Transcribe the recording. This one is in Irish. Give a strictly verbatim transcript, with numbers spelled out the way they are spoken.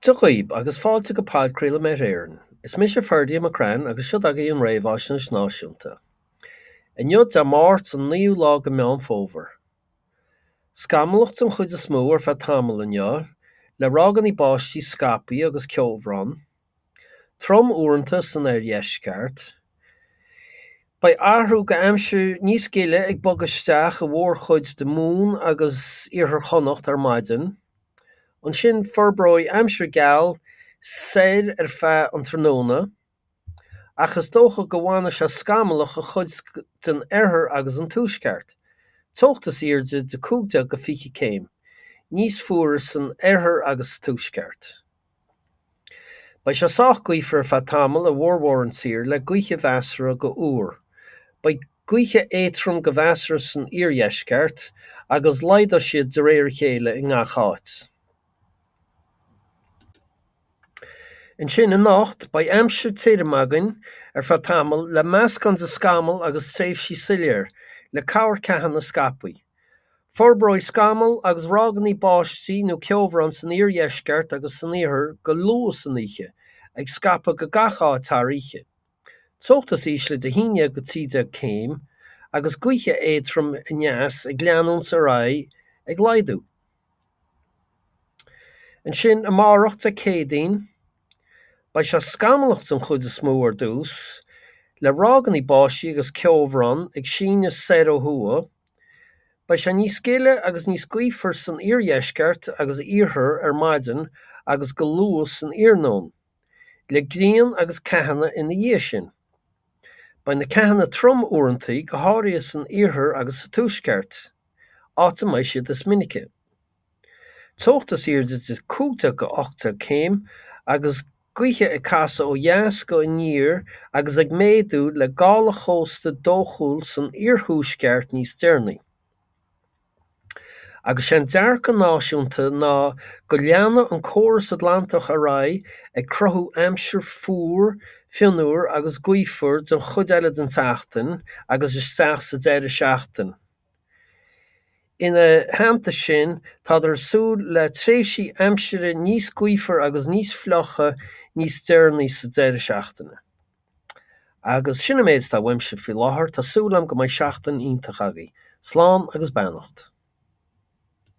Dia dhaoib agus fáilte go podchraoladh Met Éireann. Is mise Ferdia McCrann agus seo agaibh an Réamhaisnéis Náisiúnta. Inniu Dé Máirt an naoú lá de Meán Fómhair. Scamallach den chuid is mó ar feadh tamaill inniu, le ráigeanna báistí scaipthe agus ceobhrán. Trom uaireanta san oirdheisceart. Beidh athrú go aimsir níos gile ag bogadh isteach i mhórchuid de Mhumhan agus Iarthar Chonnacht ar maidin. Ansin forbróidh aimsir gheal soir ar feadh an tráthnóna, ach is dócha go bhfanfaidh sé scamallach i chuid den oirthear agus an tuaisceart. Teocht is airde de cúig déag go fiche céim, níos fuaire san oirthear agus sa tuaisceart. Beidh sé sách gaofar ar feadh tamaill i bhformhór an tír le gaoithe mheasartha go fhuar. Beidh gaoithe éadrom go measartha san iardheisceart agus laghdóidh siad de réir a chéile i ngach áit. Ansin anocht, beidh aimsir tirim againn ar feadh tamaill le meascán de scamaill agus tréimhsí soiléir, le cabhair ceathanna scaipthe. Forbróidh scamaill agus ráigeanna báistí nó ceobhrán san iardheisceart agus san iarthar go luath san oíche, ag scaipeadh go gach áit thar oíche. Teocht is ísle de haon déag go trí déag céim, agus gaoithe éadrom aneas ag leanúint ar aghaidh ag laghdú. Ansin amárach Dé Céadaoin, beidh sé scamallach den chuid is mó ar dtús, le ráigeanna báistí agus ceobhrán ag síneadh soir ó thuaidh. Beidh sé níos gile agus níos gaofar san iardheisceart agus iarthar ar maidin agus go luath san iarnóin, le grian agus ceathanna ina dhiaidh sin. Beidh na ceathanna trom uaireanta, go háirithe san iarthar agus sa tuaisceart, áit a mbeidh siad is minice. Teocht is airde de cúig déag go ocht déag céim agus gaoithe ag casadh ó dheas go aniar agus ag méadú le gála chósta dóchúil san iarthuaisceart níos deireanaí. Agus sé an dearcadh náisiúnta ná go leanfaidh an córas Atlantach ar aghaidh ag cruthú aimsir fuar, fionnuar agus gaofar den chuid eile den tseachtain agus isteach sa deireadh seachtaine. Ina theannta sin, tádar ag súil le tréimhsí aimsire níos gaofar agus níos fliucha níos deireanaí sa deireadh seachtaine. Agus sin an méid atá uaimse faoi láthair, tá súil agam go mbeidh seachtain iontach agaibh. Slán agus beannacht.